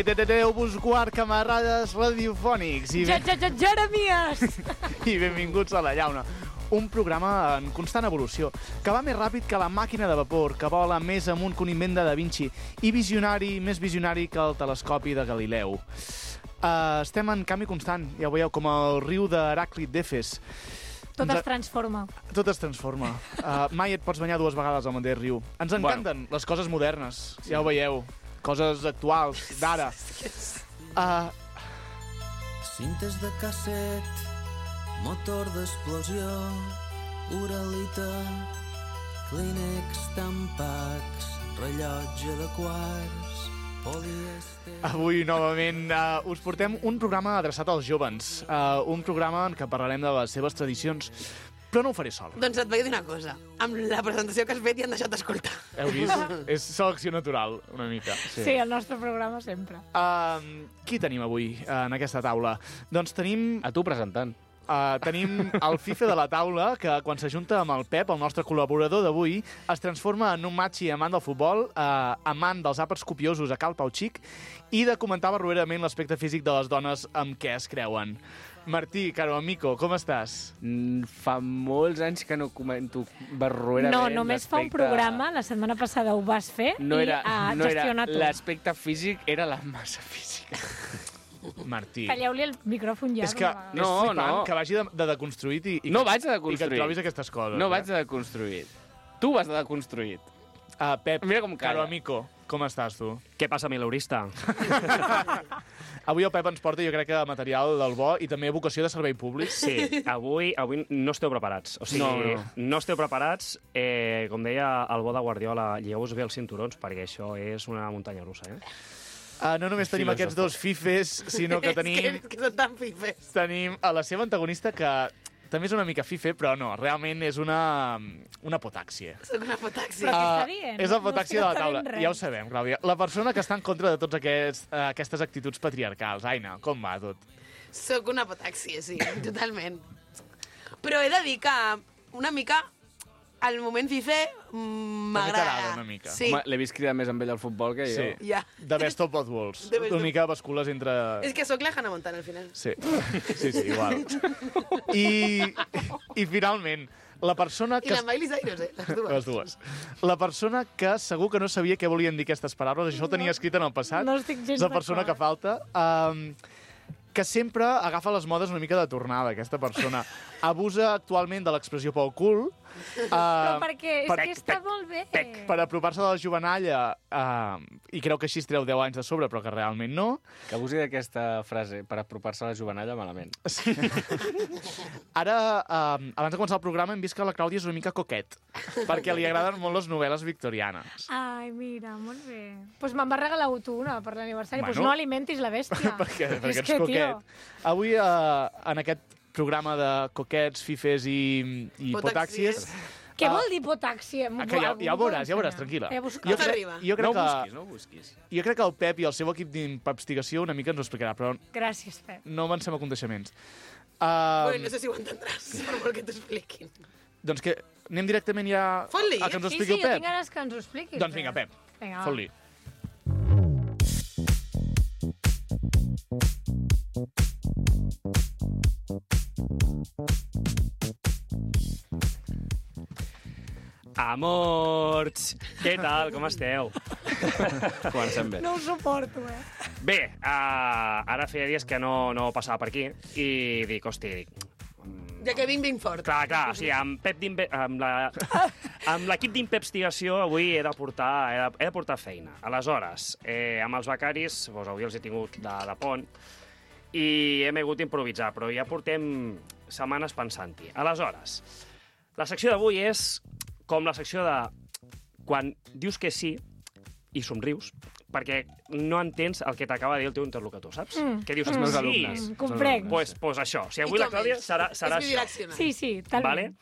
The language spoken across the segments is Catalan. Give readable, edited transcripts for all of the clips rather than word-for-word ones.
Déu-vos guard, camarades radiofònics. Jeremies! I benvinguts a La Llauna, un programa en constant evolució, que va més ràpid que la màquina de vapor, que vola més amunt que un invent de Da Vinci, i més visionari que el telescopi de Galileu. Estem en canvi constant, ja ho veieu, com el riu d'Heràclit d'Efes. Tot es transforma. Tot es transforma. Mai et pots banyar 2 vegades al mateix riu. Ens encanten les coses modernes, ja ho veieu. Coses actuals, d'ara. Cintes de casset, motor d'explosió, Uralita, Kleenex, Tampax, rellotge de quarts, polièster... Avui, novament, us portem un programa adreçat als jóvens. Un programa en què parlarem de les seves tradicions, però no ho faré sol. Doncs et vaig dir una cosa. Amb la presentació que has fet i han deixat d'escoltar. Heu vist? És selecció natural, una mica. Sí, el nostre programa sempre. Qui tenim avui en aquesta taula? Doncs tenim... A tu presentant. Tenim el Fife de la taula, que quan s'ajunta amb el Pep, el nostre col·laborador d'avui, es transforma en un matxi amant del futbol, amant dels àpats copiosos a Cal Pau Xic i de comentar barroerament l'aspecte físic de les dones amb què es creuen. Martí, caro amico, com estàs? Fa molts anys que no comento barroerament. No, només fa un programa, la setmana passada ho vas fer no i era gestionat tu. l'aspecte físic, era la massa física. Martí. Talleu-li el micròfon ja. És que és flipant que vagi de deconstruït i no vaig de i que deconstruït. et trobis aquestes coses. No vaig de deconstruït. Tu vas de deconstruït. Pep, Mira com calla. caro amico, com estàs tu? Què passa, mileurista? Avui el Pep ens porta, jo crec que material del bo i també vocació de servei públic. Sí, avui no esteu preparats. O sigui, no esteu preparats. Com deia el bo de Guardiola, lligueu-vos bé els cinturons, perquè això és una muntanya russa, No només tenim aquests dos fifes, sinó que tenim... És que són tan fifes. Tenim a la seva antagonista, que també és una mica fife, però no, realment és una potàxia. Soc una potàxia. Però què està dient? És la potàxia de la taula. No Ja ho sabem, Clàudia. La persona que està en contra de tots aquestes actituds patriarcals. Aina, com va tot? Soc una potàxia, sí, totalment. Però he de dir que una mica el moment fife m'agrada. t'agrada una mica. Sí. Home, l'he vist cridar més amb ell al futbol que jo. Sí. Ja. The best of both worlds. The best Una of- mica bascules entre... És que sóc la Hannah Montana, al final. Sí, igual. I finalment, la persona I que... la Miley Cyrus, Les dues. La persona que segur que no sabia què volien dir aquestes paraules, això ho tenia escrit en el passat. No estic gens És la persona que falta. Que sempre agafa les modes una mica de tornada, aquesta persona. Abusa actualment de l'expressió pel cul. Però perquè és que està molt bé. Per apropar-se de la jovenalla, i creu que així es treu 10 anys de sobre, però que realment no. Que abusi d'aquesta frase per apropar-se a la jovenalla malament. Sí. Ara, abans de començar el programa, hem vist que la Clàudia és una mica coquet, perquè li agraden molt les novel·les victorianes. Ai, mira, molt bé. Doncs me'n va regalar tu una per l'aniversari. Doncs Bueno. no alimentis la bèstia. perquè És ets que, coquet. tio, Avui, en aquest programa de coquets, fifes i potàxies... què vol dir potàxia? Que ja ho veuràs, tranquil·la. Com s'arriba? Jo crec que... No ho busquis. Jo crec que el Pep i el seu equip d'investigació una mica ens ho explicarà, però Gràcies, Pep. no avancem a coneixements. Bueno, no sé si ho entendràs, per molt que t'ho expliquin. Doncs que anem directament ja Fot-li. a que ens ho Sí, expliqui jo el tinc Pep. ganes que ens ho expliquis. Doncs vinga, Pep, Vinga, va. fot-li. Amors! Què tal? Com esteu? Comencem bé. No ho suporto, Bé, ara feia dies que no passava per aquí i dic, hosti, Ja que vinc fort. clar, o sigui, amb l'equip d'investigació avui he de portar feina. Aleshores, amb els becaris, doncs avui els he tingut de pont i hem hagut d'improvisar, però ja portem setmanes pensant-hi. Aleshores, la secció d'avui és com la secció de quan dius que sí i somrius, perquè no entens el que t'acaba de dir el teu interlocutor, saps? Que dius, Els meus sí, alumnes. Comprenc. pues això. O sigui, avui la Clàudia serà És això. bidireccional. Sí, talment.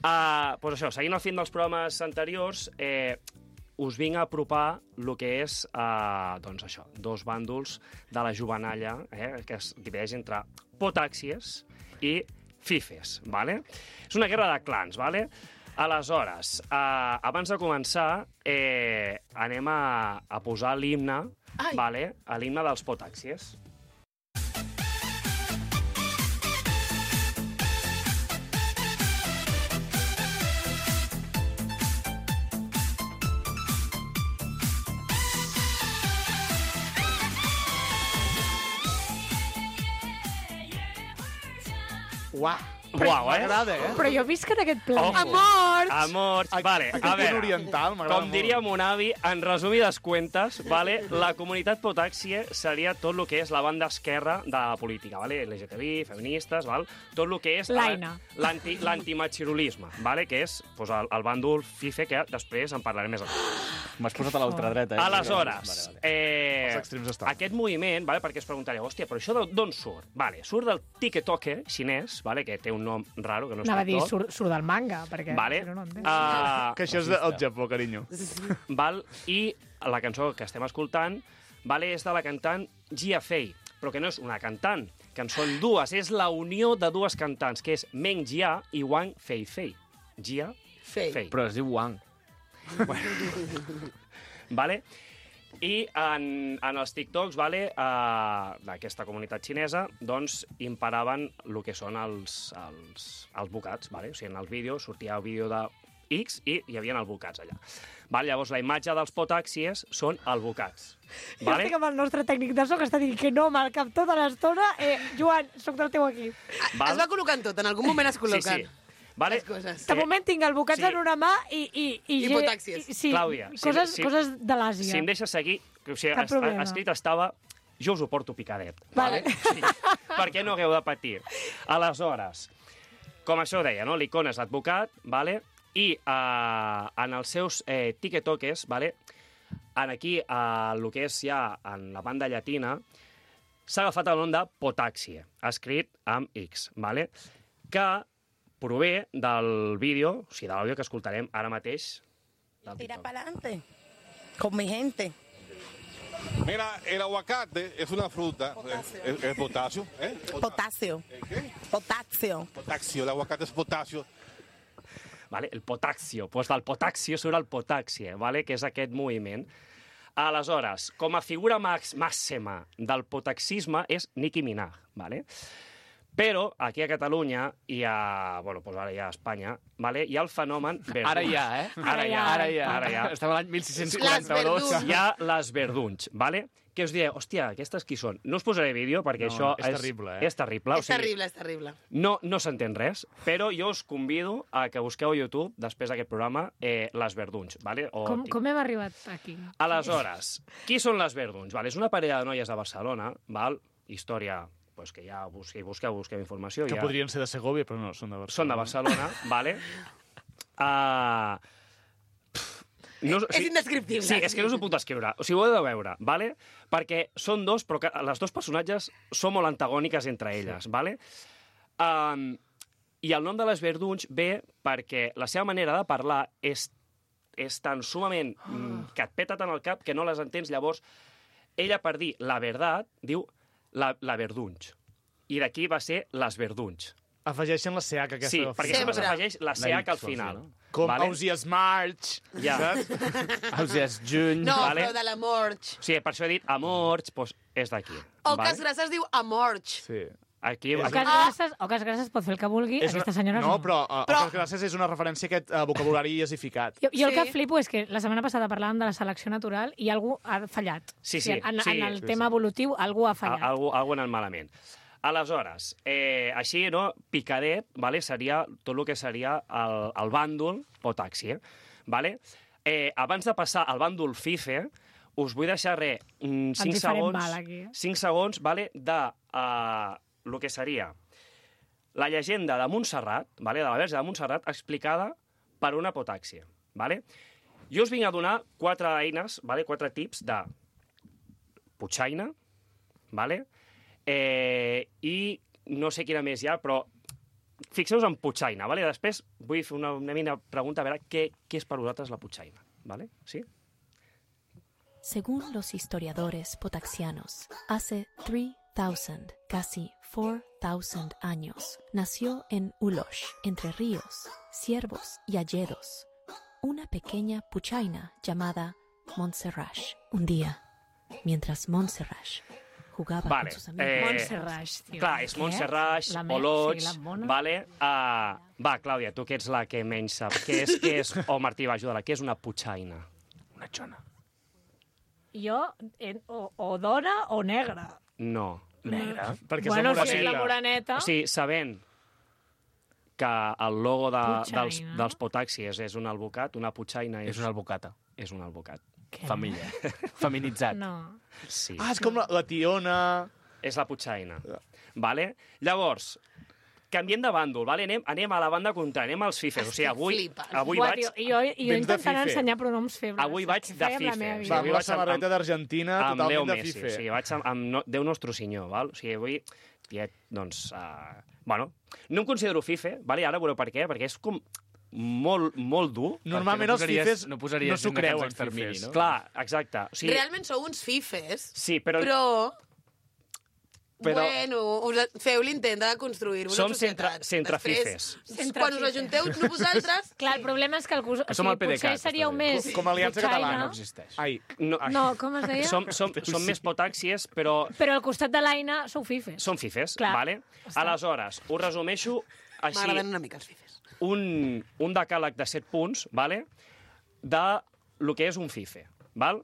Vale? Pues això, seguint el film dels programes anteriors, us vinc a apropar el que és, doncs això, dos bàndols de la jovenalla, que es divideix entre potàxies i fifes, vale? És una guerra de clans, vale? Aleshores, abans de començar, anem a posar l'himne, vale? L'himne dels Potàxies. Uah, Uau, m'agrada, Però jo visc en aquest planeta. Amors! Amors, vale, a Aquest punt veure, oriental m'agrada com diria mon avi, en resumides cuentes, vale, la comunitat Potàxia seria tot el que és la banda esquerra de la política, vale? LGTBI, feministes, val? Tot el que és l'antimachirulisme, vale? Que és pues, el bàndol FIFE, que després en parlarem més. M'has posat a l'ultradreta. Aleshores, Els extrems estan. aquest moviment, vale, perquè es preguntareu, hòstia, però això d'on surt? Vale, surt del TikTok xinès, vale, que té un nom raro, que no és Anava a dir, TikTok. surt del manga, perquè... Vale. Si no, no entenc. Que això és del Japó, carinyo. Val? I la cançó que estem escoltant, vale, és de la cantant Jia Fei, però que no és una cantant, que en són dues, és la unió de dues cantants, que és Meng Jia i Wang Feifei. Jia Fei. Però es diu Wang. Vale? I en els TikToks, vale, d'aquesta comunitat xinesa, doncs imparaven el que són els bocats. Vale? O sigui, en el vídeo sortia el vídeo de X i hi havia els bocats allà. Vale? Llavors, la imatge dels Potàxies són els bocats. Jo estic amb el nostre tècnic de so que està dient que no amb el cap tota l'estona. Joan, soc del teu equip. Es va col·locant tot, en algun moment es col·loquen. Sí. Vale? Les coses. De moment tinc el bocats en una mà i Potàxies. Sí, Clàudia, coses de l'Àsia. Si em deixes seguir, o sigui, Cap problema. escrit estava jo us ho porto picadet. Vale. Sí, perquè no hagueu de patir. Aleshores, com això deia, no? L'icona és l'advocat, vale? I en els seus tiquetoques, vale? Aquí, el que és ja en la banda llatina, s'ha agafat el nom de Potàxia, escrit amb X, vale? Que prové del vídeo, o sigui, de l'àudio que escoltarem ara mateix. Tira para adelante, con mi gente. Mira, el aguacate es una fruta, es potasio. Potasio. ¿Qué? Potasio. Potasio, el aguacate es potasio. Vale? El potaxio. Pues del potaxio surt el potàxia, vale? Que és aquest moviment. Aleshores, com a figura màxima del potaxisme és Nicki Minaj, vale? Però aquí a Catalunya i a, bueno, pues ara ja a Espanya, vale, hi ha el fenomen verdunys. Ara ja, eh? Ara ja. Estem a l'any 1642. Hi ha les verdunys, vale? Que us direu, hòstia, aquestes qui són? No us posaré vídeo perquè això és terrible, eh? És terrible. És terrible, és terrible. No s'entén res, però jo us convido a que busqueu a YouTube, després d'aquest programa, les verdunys, vale? Com hem arribat aquí? Aleshores, qui són les verdunys? Vale, és una parella de noies de Barcelona, val? Història, pues que ja busqueu informació. Que ja... podrien ser de Segovia, però no, són de Barcelona. Són de Barcelona, vale? No, És indescriptible. Sí, és que no us ho puc descriure. O sigui, ho heu de veure, vale? Perquè són dos, però que les dos personatges són molt antagòniques entre elles, vale? I el nom de les verdunys ve perquè la seva manera de parlar és tan sumament que et peta tant el cap que no les entens. Llavors, ella, per dir la veritat, diu la verdunys. I d'aquí va ser les verdunys. Afegeixen la CH aquesta. Sí, perquè sempre s'afegeix la CH al final. Com Ausias March, ja. saps? Ausias Juny. No, vale? però de l'amorx. Sí, per això he dit amorx, doncs és d'aquí. O que es grasses diu amorx. Sí. Aquí, Ocas Grasses pot fer el que vulgui, aquesta senyora no. Però Ocas Grasses és una referència a aquest vocabulari iasificat. Jo el que flipo és que la setmana passada parlàvem de la selecció natural i algú ha fallat. Sí. En el tema evolutiu, algú ha fallat. Algú ha anat malament. Aleshores, així, no, picadet, vale, seria tot el que seria el bàndol Potàxia. Vale? Abans de passar al bàndol FIFE, us vull deixar 5 segons vale, de el que seria la llegenda de Montserrat, vale, de la Verge de Montserrat, explicada per una Potàxia. Vale? Jo us vinc a donar 4 eines, vale, 4 tips de potxaina, vale? I no sé quina més hi ha, però fixeu-vos en potxaina, vale? Després vull fer una mini pregunta a veure què és per vosaltres la potxaina, vale? ¿Sí? Según los historiadores potaxianos, hace 3 3,000, casi 4,000 años, nació en Ulosh, Entre Ríos, Ciervos y Alledos, una pequeña puchaina llamada Montserrat. Un día, mientras Montserrat jugaba con sus amigos... Montserrat, tio. Clar, és Montserrat, Olots, vale? Va, Clàudia, tu que ets la que menys sap. Què és... Oh, Martí, va, ajuda-la. Què és una puchaina? Una xona. Jo, o dona o negra. No. Negra? Perquè Bueno, és la si és la moreneta. moreneta... O sigui, sabent que el logo Puchaina. dels potaxis és un albocat, una puchaina És una albocata. És un albocat. Família. Feminitzat. No. Sí. Ah, és com la tiona... És la puchaina. Vale? Llavors, canviem de bàndol, vale? Anem a la banda contrària, anem als fifes. O sigui, avui Buah, vaig... tio, jo intentant fife. ensenyar pronoms febles. Avui vaig Què de feia amb la fife. meva O vida? sigui, Va, amb la samarreta d'Argentina, amb Leo totalment de Messi. fife. O sigui, vaig amb Déu nostre senyor, val? O sigui, avui, doncs... Bueno, no em considero fife, vale? Ara veureu per què, perquè és com molt dur. Normalment els fifes no no posaries s'ho una creuen, cançó extermini, fifes. no? Clar, exacte. O sigui, Realment sou uns fifes, sí, però... Bueno, feu l'intent de construir-vos Som una societat. centre Després, fifes. quan us ajunteu vosaltres... Clar, el problema és que, som el PDeCAT, potser seríeu està bé. més... Com a Aliança puchaina. Catalana. No existeix. Ai, No, com es deia? Som més potàxies, però Però al costat de l'Aina sou fifes. som fifes, Clar. vale? Aleshores, us resumeixo així M'agraden una mica els fifes. un decàleg de 7 punts, vale? De lo que és un fife, val?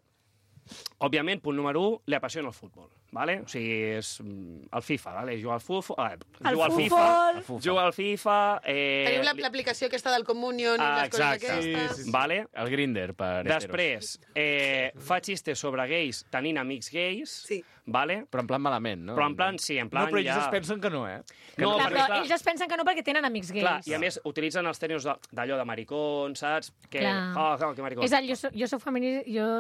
Òbviament, punt número 1, li apassiona el futbol, vale? O sigui, és el FIFA, vale? Juga al FIFA, juga al FIFA... Teniu l'aplicació aquesta del Communion i les coses exacte. aquestes. Sí. Vale? El Grindr per heteros. Després, fa xistes sobre gais tenint amics gais, Sí. vale? Però en plan malament, no? Però en plan, sí, en plan no, però ells ja... es pensen que no, eh? No, Clar, perquè, però clar, ells es pensen que no perquè tenen amics gais. clar, i a més utilitzen els tècnics d'allò de maricón, saps? Que, Clar. que maricón. És el, jo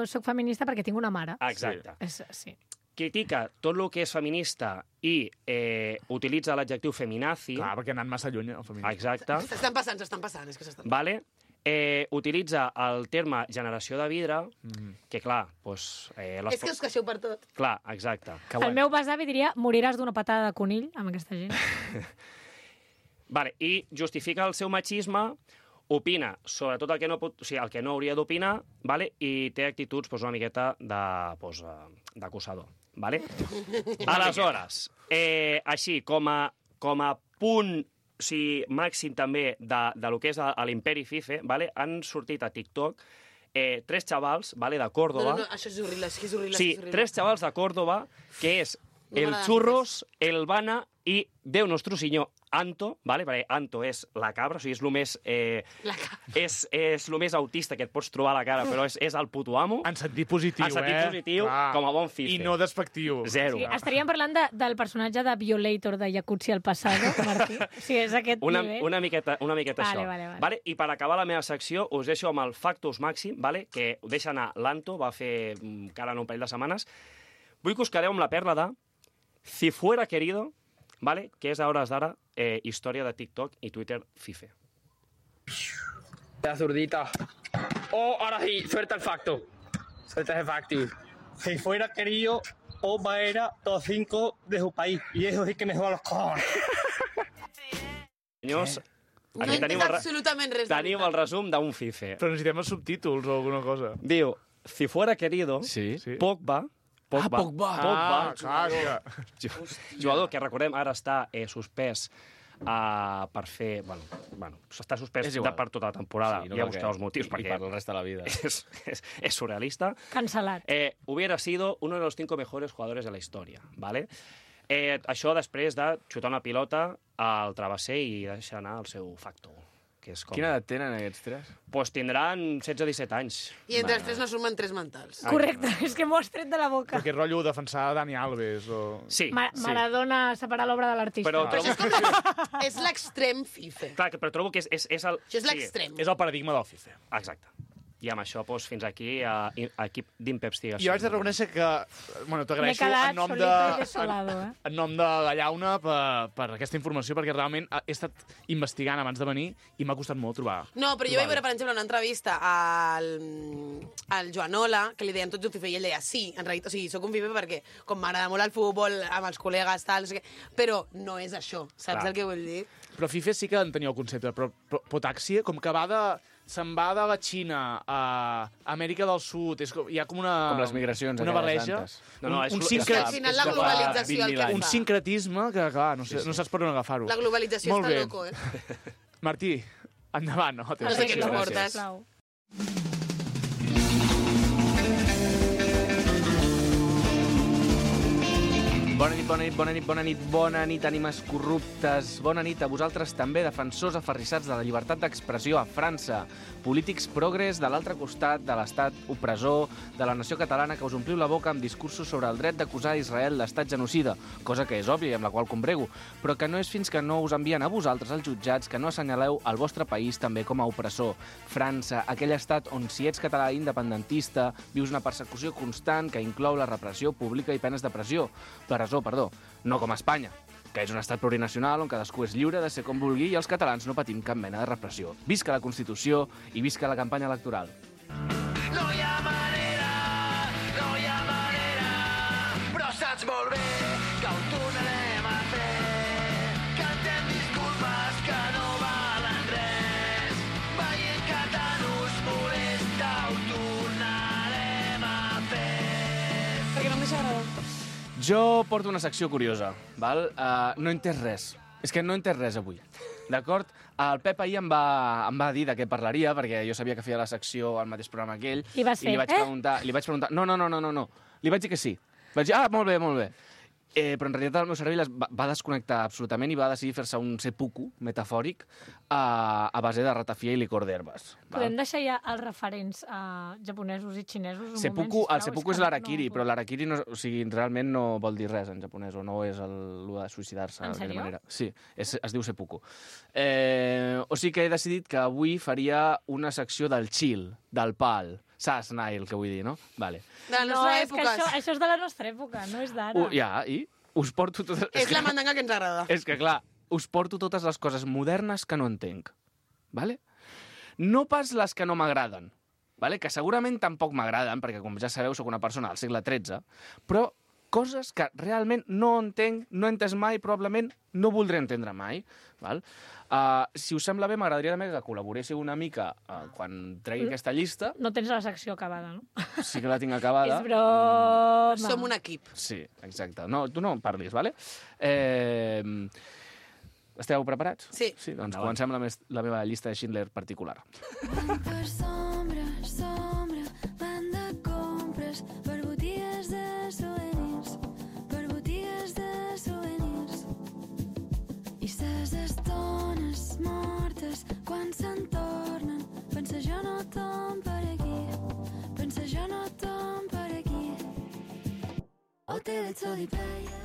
soc feminista perquè tinc una mare. Exacte. Sí. Critica tot el que és feminista i utilitza l'adjectiu feminazi. Clar, perquè han anat massa lluny el feminisme. Exacte. S'estan passant, és que s'estan passant. Vale? Utilitza el terme generació de vidre, que clar, doncs... És que us queixeu per tot. Clar, exacte. El meu besavi diria moriràs d'una patada de conill amb aquesta gent. Vale, i justifica el seu machisme, opina sobre tot el que no pot, o sigui, el que no hauria d'opinar, vale? I té actituds doncs, una miqueta d'acusador. Vale? Aleshores, així, com a punt màxim també de lo que és l'imperi FIFE, vale? Han sortit a TikTok 3 xavals, vale, de Córdoba. No, això és horrible, és horrible. Sí, 3 xavals de Córdoba, que és el Churros, el Bana i Déu nostre senyor Anto, vale? Perquè Anto és la cabra, o sigui, és el més... és el més autista que et pots trobar a la cara, però és el puto amo. En sentit positiu, En sentit positiu, com a bon fife. I no despectiu. Zero. Sí, estaríem parlant del personatge de Violator de Jacuzzi al Passado, Martí. Sí, és aquest nivell. Una miqueta això. Vale. I per acabar la meva secció, us deixo amb el Factus Màxim, vale? Que ho deixa anar l'Anto, va fer encara un parell de setmanes. Vull que us quedeu amb la perla de Si fuera querido, vale? Que és a hores d'ara història de TikTok i Twitter FIFE. La zurdita. Oh, ahora sí, suelta el facto. Suelta ese facto. Si fuera querido, Oba era top 5 de su país. Y eso sí que me juega los cojones. Senyors, No aquí entenc absolutament res. tenim el resum d'un FIFE. Però necessitem els subtítols o alguna cosa. Diu, si fuera querido, Pogba, jugador que recordem ara està suspès per fer... Bueno, està suspès per tota la temporada. Sí, no ja cal busqueu els motius, i perquè per el resto de la vida. és surrealista. Cancel·lat. Hubiera sido uno de los 5 mejores jugadores de la historia, ¿vale? Això després de xutar una pilota al travesser i deixar anar el seu facto. Que és com... Quina edat tenen aquests 3? Pues tindran 16-17 anys. I entre els 3 no sumen 3 mentals. Correcte, és que m'ho has tret de la boca. Perquè rotllo defensar Dani Alves o... Sí. Maradona separar l'obra de l'artista. Però És l'extrem FIFE. Clar, però trobo que és el... Això és l'extrem. És el paradigma del FIFA. Exacte. I amb això, doncs, fins aquí, equip d'investigació. Jo haig de reconèixer que, bueno, t'agraeixo en nom en nom de Gallauna per aquesta informació, perquè realment he estat investigant abans de venir i m'ha costat molt trobar. No, però jo vaig veure, per exemple, una entrevista al Joanola, que li deien tots un fife, i ell deia, sí, en realitat, o sigui, soc un fife perquè com m'agrada molt el futbol, amb els col·legues, tal, no sé què, però no és això, saps el que vull dir? Però FIFA sí que en tenia el concepte, però Potaxi, com que se'n va de la Xina a Amèrica del Sud, hi ha com una... Com les migracions, una barreja. Al final la globalització el que fa. Un sincretisme que, clar, no saps per on agafar-ho. La globalització està loco, Martí, endavant, no? No sé què ens portes. Bona nit, ànimes corruptes. Bona nit a vosaltres també, defensors aferrissats de la llibertat d'expressió a França. Polítics progres de l'altre costat de l'estat opressor de la nació catalana que us ompliu la boca amb discursos sobre el dret d'acusar Israel d'estat genocida, cosa que és òbvia i amb la qual combrego, però que no és fins que no us envien a vosaltres els jutjats que no assenyaleu el vostre país també com a opressor. França, aquell estat on si ets català independentista vius una persecució constant que inclou la repressió pública i penes de presó, no com a Espanya, que és un estat plurinacional on cadascú és lliure de ser com vulgui i els catalans no patim cap mena de repressió. Visca la Constitució i visca la campanya electoral. No hi ha manera, però saps molt bé que ho tornarem a fer. Cantem disculpes que no valen res, veient que tant us molesta ho tornarem a fer. Perquè no m'hi agrada. Jo porto una secció curiosa, val? No he entès res. És que no he entès res avui, d'acord? El Pep ahir em va dir de què parlaria, perquè jo sabia que feia la secció al mateix programa que ell. I vas fer, li vaig preguntar... No. Li vaig dir que sí. Vaig dir, molt bé. Però en realitat el meu cervell va desconnectar absolutament i va decidir fer-se un seppuku metafòric a base de ratafia i licor d'herbes. Podem deixar ja els referents japonesos i xinesos? El seppuku és l'harakiri, però l'harakiri realment no vol dir res en japonès, o no és el de suïcidar-se. En sèrio? Sí, es diu seppuku. O sigui que he decidit que avui faria una secció del chill, del pal, Sass-nai, el que vull dir, no? Vale. De la nostra època. Això és de la nostra època, no és d'ara. I us porto totes... És la mandanga que ens agrada. És que, clar, us porto totes les coses modernes que no entenc. Vale? No pas les que no m'agraden, vale? Que segurament tampoc m'agraden, perquè, com ja sabeu, sóc una persona del segle XIII, però coses que realment no entenc, no he entès mai, probablement no voldré entendre mai. Val? Si us sembla bé, m'agradaria també que col·laboréssiu una mica quan tregui aquesta llista. No tens la secció acabada, no? Sí que la tinc acabada. És broma. Som un equip. Sí, exacte. No, tu no en parlis, vale? Esteu preparats? Sí. Doncs comencem la meva llista de Schindler particular. Per sombra, van de compres per botigues de souvenirs, i ses estones mortes quan se'n tornen, pensa jo no tom per aquí, o te l'etzo di peia.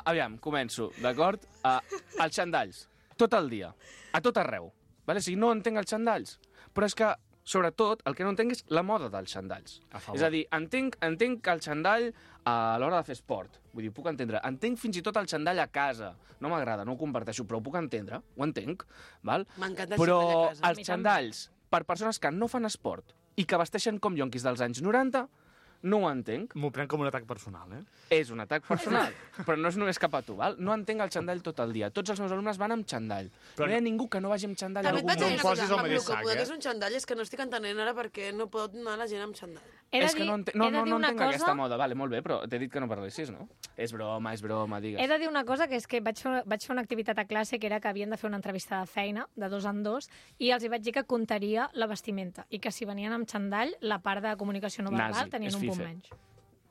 Aviam, començo, d'acord? Els xandalls, tot el dia, a tot arreu. Vale? O sigui, no entenc els xandalls, però és que, sobretot, el que no entenc és la moda dels xandalls. És a dir, entenc el xandall a l'hora de fer esport. Vull dir, puc entendre. Entenc fins i tot el xandall a casa. No m'agrada, no ho comparteixo, però ho puc entendre, ho entenc. Val? M'encanta el però xandall a casa. Els xandalls, per persones que no fan esport i que vesteixen com yonquis dels anys 90, no ho entenc. M'ho prenc com un atac personal, És un atac personal, però no és només cap a tu, val? No entenc el xandall tot el dia. Tots els meus alumnes van amb xandall. Però no hi ha ningú que no vagi amb xandall. També et vaig dir una cosa, amb el que poder és un xandall és que no estic entenent ara perquè no pot anar la gent amb xandall. És que no entenc aquesta moda. Vale, molt bé, però t'he dit que no parlessis, no? És broma, digues. He de dir una cosa, que és que vaig fer una activitat a classe que era que havien de fer una entrevista de feina, de 2 en 2, i els hi vaig dir que comptaria la vestimenta, i que si venien amb xandall, la part de comunicació no verbal tenien un punt menys.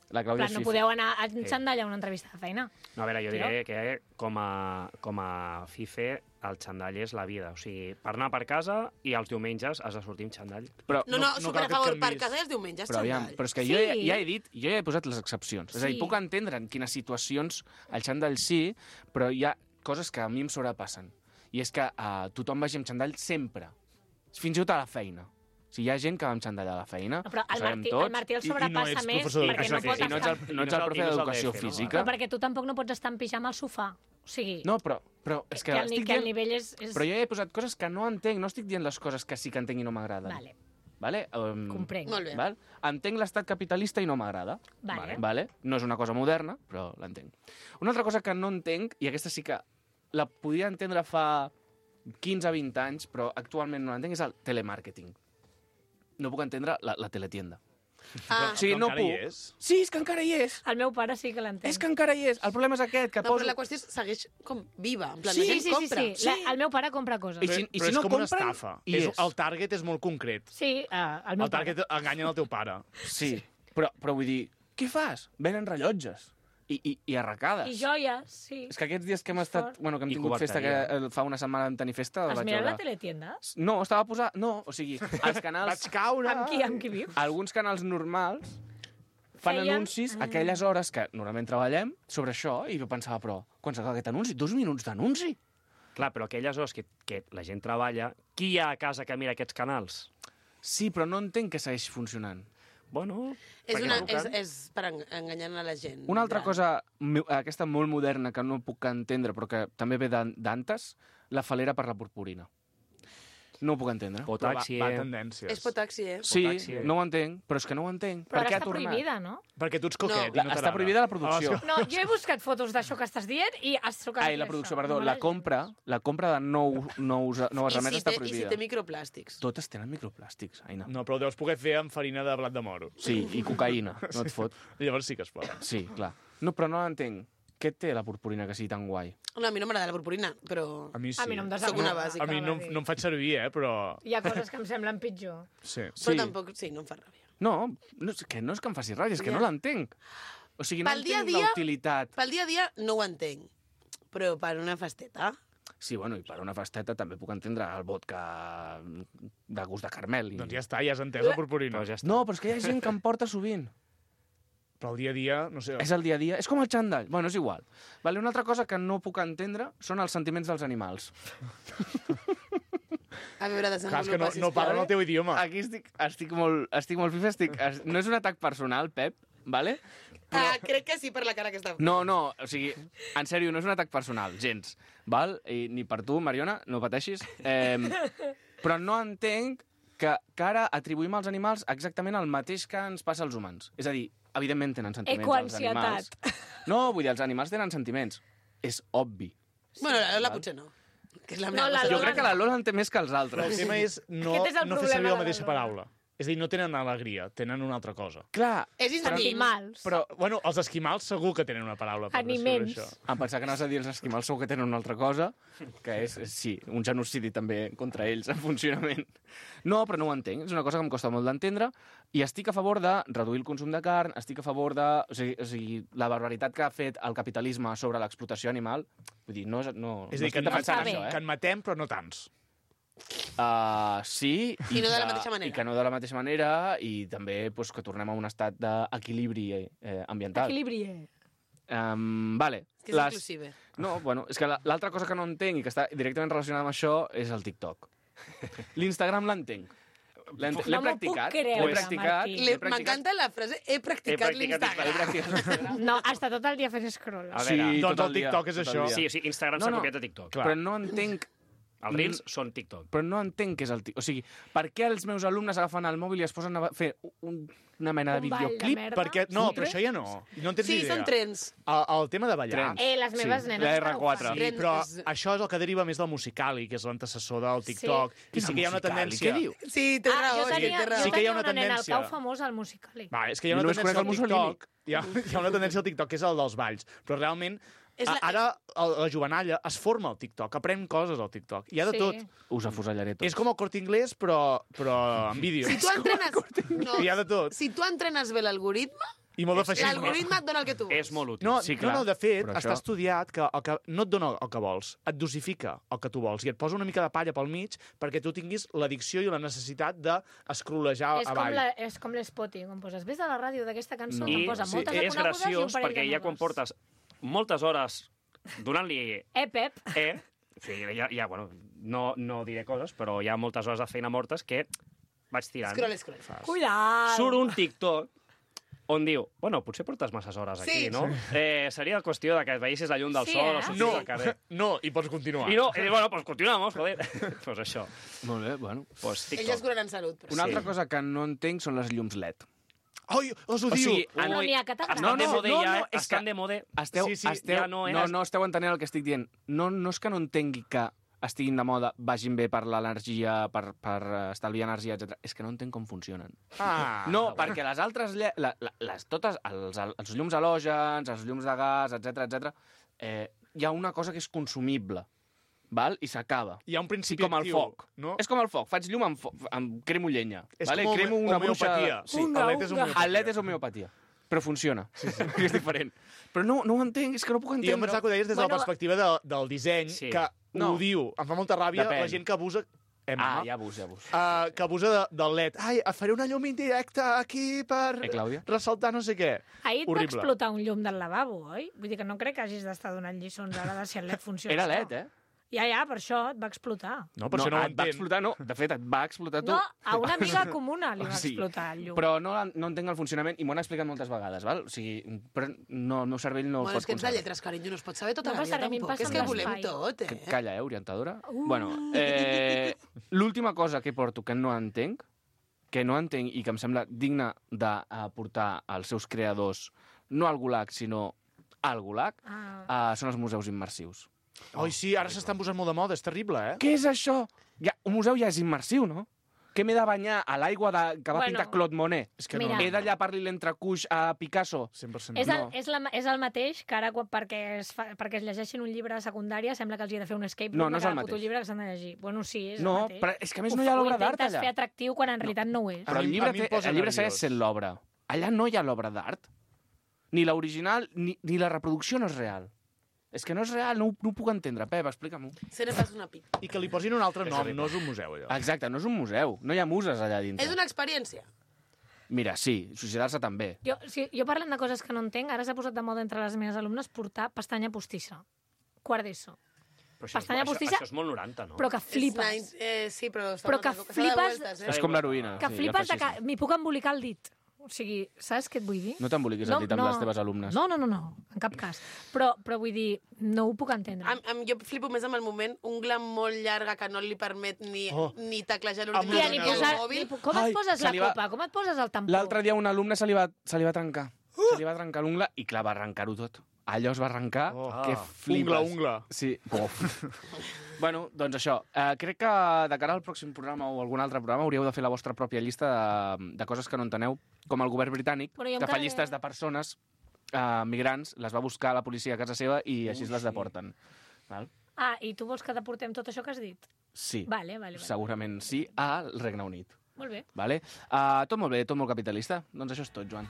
La Clàudia no podeu anar amb xandall a una entrevista de feina. No, a veure, jo diré que com a FIFE el xandall és la vida. O sigui, per anar per casa i els diumenges has de sortir amb xandall. No, super a favor, per casa i els diumenges xandall. Però és que jo ja he posat les excepcions. És a dir, puc entendre en quines situacions el xandall sí, però hi ha coses que a mi em sobrepassen. I és que tothom vagi amb xandall sempre. Fins i tot a la feina. Si hi ha gent que va amb xandall a la feina, Però ho sabem tots. el Martí el sobrepassa més perquè no pot I no ets el profe d'educació física. Però perquè tu tampoc no pots estar en pijama al sofà. O sigui... No, però és que estic el dient... nivell és... Però jo he posat coses que no entenc, no estic dient les coses que sí que entenc i no m'agraden. Vale? Comprenc. Molt bé. Val? Entenc l'estat capitalista i no m'agrada. Vale? No és una cosa moderna, però l'entenc. Una altra cosa que no entenc, i aquesta sí que la podia entendre fa 15-20 anys, però actualment no l'entenc, és el telemàrqueting. No puc entendre la teletienda. Ah, o sigui, no encara hi puc. és. Sí, és que encara hi és. El meu pare sí que l'entén. És que encara hi és. El problema és aquest, que No, poso... però la qüestió segueix com viva. En plan, Sí, la gent compra. sí. El meu pare compra coses. I si Però és no com una compren, estafa. hi és. El target és molt concret. Sí, el meu El target enganyen el teu pare. Sí, però vull dir, què fas? Venen rellotges i arracades. I joies, sí. És que aquests dies que hem estat... Bueno, que hem tingut festa, que fa una setmana vam tenir festa... Has vaig mirat veure... la teletienda? No, estava posat... No, o sigui, els canals... Vaig caure... Amb qui vius? Alguns canals normals fan anuncis a aquelles hores que normalment treballem sobre això, i jo pensava, però, quan s'acaba aquest anunci? 2 minuts d'anunci? Clar, però aquelles hores que la gent treballa, qui hi ha a casa que mira aquests canals? Sí, però no entenc que segueix funcionant. Bueno... És per enganyar a la gent. Una altra cosa, aquesta molt moderna, que no puc entendre, però que també ve d'antes, la falera per la purpurina. No ho puc entendre. Potaxi, va a tendències. És potaxi, Sí, no ho entenc, però és que no ho entenc. Però per què ara ha està tornat? prohibida, no? Perquè tu ets coquet. No, està prohibida la producció. No, jo he buscat fotos d'això que estàs dient i has trucat. Ai, la producció, perdó. La compra de noves remeses està prohibida. I si té microplàstics? Totes tenen microplàstics, Aina. No, però ho deus poder fer amb farina de blat de moro. Sí, i cocaïna, no et fot. Llavors sí que es pot. Sí, clar. No, però no entenc. Què té la purpurina que sigui tan guai? No, a mi no m'agrada la purpurina, però... A mi sí. A mi no em Soc una bàsica. A mi no em faig servir, però... Hi ha coses que em semblen pitjor. Sí. Però tampoc, sí, no em fa ràbia. No, que no és que em faci ràbia, és que no l'entenc. O sigui, no entenc la utilitat. Pel dia a dia no ho entenc, però per una festeta... Sí, bueno, i per una festeta també puc entendre el vodka de gust de carmel. Doncs ja està, ja has entès la purpurina. No, però és que hi ha gent que em porta sovint. Però el dia a dia, no sé... És el dia a dia. És com el xandall. Bueno, és igual. Vale, una altra cosa que no puc entendre són els sentiments dels animals. A veure, Clar, és que no parlen el teu idioma. Aquí estic molt fifa. No és un atac personal, Pep, vale? Crec que sí per la cara que està... No, o sigui, en sèrio, no és un atac personal, gens. Val? I ni per tu, Mariona, no pateixis. Però no entenc que ara atribuïm als animals exactament el mateix que ens passa als humans. És a dir, evidentment tenen sentiments els animals. No, vull dir, els animals tenen sentiments. És obvi. Bueno, la Lola potser no. Que és la meva Jo crec que la Lola en té més que els altres. El tema és no fer servir la mateixa paraula. És a dir, no tenen alegria, tenen una altra cosa. Clar. És animals. Però, bueno, els esquimals segur que tenen una paraula per descriure això. Em pensava que anaves a dir els esquimals segur que tenen una altra cosa, que és, sí, un genocidi també contra ells en funcionament. No, però no ho entenc. És una cosa que em costa molt d'entendre i estic a favor de reduir el consum de carn, estic a favor de... O sigui, la barbaritat que ha fet el capitalisme sobre l'explotació animal, vull dir, no és a dir, que en matem, però no tants. Sí. I no de la mateixa manera. I que no de la mateixa manera, i també pues, que tornem a un estat d'equilibri ambiental. Equilibri. Vale. És que és inclusive. No, bueno, és que l'altra cosa que no entenc i que està directament relacionada amb això és el TikTok. L'Instagram l'entenc. L'he practicat. L'he practicat. M'encanta la frase he practicat l'Instagram. No, està tot el dia fent scroll. Sí, doncs el TikTok és això. Sí, o sigui, Instagram s'ha copiat de TikTok. Però no entenc... Els Reels són TikTok. Però no entenc què és el TikTok. O sigui, per què els meus alumnes agafen el mòbil i es posen a fer una mena de videoclip? Perquè, no, però això ja no. No en tens sí, idea. són trens. El tema de ballar... Les meves nenes la R4. Sí, però això és el que deriva més del Musical.ly, que és l'antecessor del TikTok. I sí que hi ha una tendència... Què diu? Sí, té raó. Sí que hi ha una nena al tendència... cau famós al Musical.ly. Va, és que hi ha una tendència al TikTok... Hi ha una tendència al TikTok que és el dels balls. Però realment... Ara la jovenalla es forma al TikTok, aprèn coses al TikTok. Hi ha de tot. Us afusellaré tots. És com el Corte Inglés, però en vídeo. Si tu entrenes... Hi ha de tot. Si tu entrenes bé l'algoritme, I molt de feixisme. l'algoritme et dona el que tu vols. És molt útil. No, sí, clar, no, de fet, però està estudiat que el que no et dona el que vols, et dosifica el que tu vols i et posa una mica de palla pel mig perquè tu tinguis l'addicció i la necessitat d'escrolejar avall. És com l'Spotty, quan poses ves a la ràdio d'aquesta cançó, I em posa moltes de és conegudes i un graciós parell perquè de ja quan noves. portes moltes hores donant-li Pep. o sigui, bueno, no diré coses, però hi ha moltes hores de feina mortes que vaig tirant. Scroll. Cuidado! Surt un TikTok on diu, bueno, potser portes masses hores aquí, no? Seria qüestió de que veiessis la llum del sol o sortir al carrer. No, i pots continuar. I bueno, pues continuamos, joder. Pues això. Molt bé, bueno. Pues TikTok. Ells es curen en salut. Una altra cosa que no entenc són les llums LED. Ai, us ho diu! No n'hi ha que t'agrada. Estan de mode ja, estan de mode. No esteu entenent el que estic dient. No és que no entengui que estiguin de moda, vagin bé per l'energia, per estalviar energia, etc. És que no entenc com funcionen. No, perquè les altres... totes, els llums halògens, els llums de gas, etc, hi ha una cosa que és consumible, val? I s'acaba. Hi ha un principi com el foc. No? És com el foc. Faig llum amb cremo llenya. És com homeopatia. El LED és homeopatia. Però funciona. És diferent. Però no ho entenc, és que no puc entendre. I jo em pensava que ho deies des de la perspectiva del disseny, que ho diu. Em fa molta ràbia la gent que abusa... Ja abús. Que abusa del LED. Ai, faré una llum indirecta aquí per ressaltar no sé què. Ahir et va explotar un llum del lavabo, oi? Vull dir que no crec que hagis d'estar donant lliçons ara de si el LED funciona. Era LED, Ja, per això et va explotar. No, per això no ho et va explotar, no. De fet, et va explotar tu. No, a una amiga comuna li va explotar el llum. Però no entenc el funcionament i m'ho han explicat moltes vegades, val? O sigui, però no, el meu cervell no el pot és que ets de lletres, carinyo, no es pot saber tota la vida, tampoc. És que volem tot, Calla, orientadora. Bueno, l'última cosa que porto que no entenc i que em sembla digna de portar als seus creadors, no al Gulag, sinó al Gulag, són els museus immersius. Ai, sí, ara s'estan posant molt de moda, és terrible, Què és això? Un museu ja és immersiu, no? Què m'he de banyar a l'aigua que va pintar Claude Monet? És que no. He de llapar-li l'entrecuix a Picasso? 100% És el mateix que ara, perquè es llegeixin un llibre de secundària, sembla que els hi ha de fer un escape room de cada puto llibre que s'han de llegir. Bueno, sí, és el mateix. No, però és que a més no hi ha l'obra d'art allà. Ho intentes fer atractiu quan en realitat no ho és. Però el llibre segueix sent l'obra. Allà no hi ha l'obra d'art. Ni l'original, ni la reproducció no és real. És que no és real, no ho puc entendre. Pep, explica'm-ho. Se ne fas una pica. I que li posin un altre nom, no és un museu, allò. Exacte, no és un museu. No hi ha muses allà dintre. És una experiència. Mira, sí, suïcidar-se també. Jo parlant de coses que no entenc, ara s'ha posat de moda entre les meves alumnes portar pestanya postissa. Quart d'ESO. Pestanya postissa... Això és molt 90, no? Però que flipes. Sí, però que flipes... És com l'heroïna. Que flipes que m'hi puc embolicar el dit. O sigui, saps què et vull dir? No t'emboliquis el dit amb les teves alumnes. No, en cap cas. Però vull dir, no ho puc entendre. Jo flipo més amb el moment, ungla molt llarga que no li permet ni taclejar l'ordinador ni mòbil. Com et poses la copa? Com et poses el tampó? L'altre dia un alumne se li va trencar. Se li va trencar l'ungla i clar, va arrencar-ho tot. Allò es va arrencar, que flipes. Ungla. Sí. Bueno, doncs això. Crec que de cara al pròxim programa o algun altre programa hauríeu de fer la vostra pròpia llista de coses que no enteneu, com el govern britànic, que fa llistes de persones migrants, les va buscar la policia a casa seva i així les deporten. Val? I tu vols que deportem tot això que has dit? Sí. Vale. Segurament sí, al Regne Unit. Molt bé. Vale? Tot molt bé, tot molt capitalista. Doncs això és tot, Joan.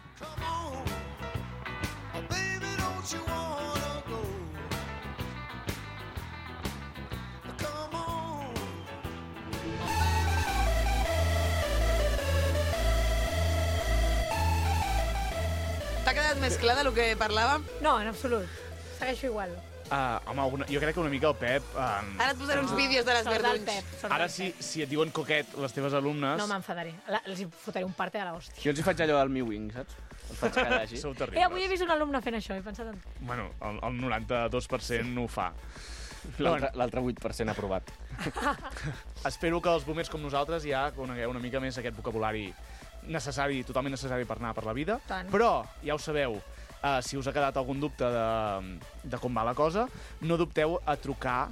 T'ha quedat més clar del que parlàvem? No, en absolut. Segueixo igual. Home, jo crec que una mica el Pep... Ara et posaré uns vídeos de les verdunys. Ara, si et diuen coquet les teves alumnes... No m'enfadaré. Els fotré un parte de l'hòstia. Jo els hi faig allò del Mi Wing, saps? Els faig callar així. Sou terribles. Avui he vist un alumne fent això, he pensat en... Bueno, el 92% ho fa. L'altre 8% aprovat. Espero que els boomers com nosaltres ja conegueu una mica més aquest vocabulari necessari, totalment necessari per anar per la vida. Tant. Però, ja ho sabeu, si us ha quedat algun dubte de com va la cosa, no dubteu a trucar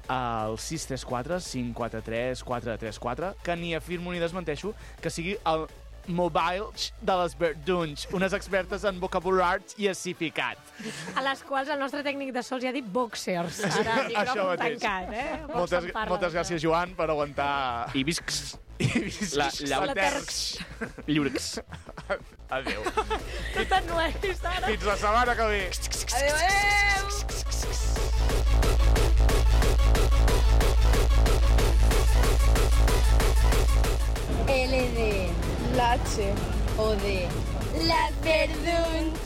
al 634 543 434, que ni afirmo ni desmenteixo que sigui el mobile de les verdunys, unes expertes en vocabulari i acificat. A les quals el nostre tècnic de so ja ha dit boxers. Ara això mateix. Tancat, Moltes gràcies, Joan, per aguantar... I viscs. La terx. Lliurix. Adéu. Tot en nues, ara. Fins la setmana que ve. Adéu. LD, la H, o de las verduns.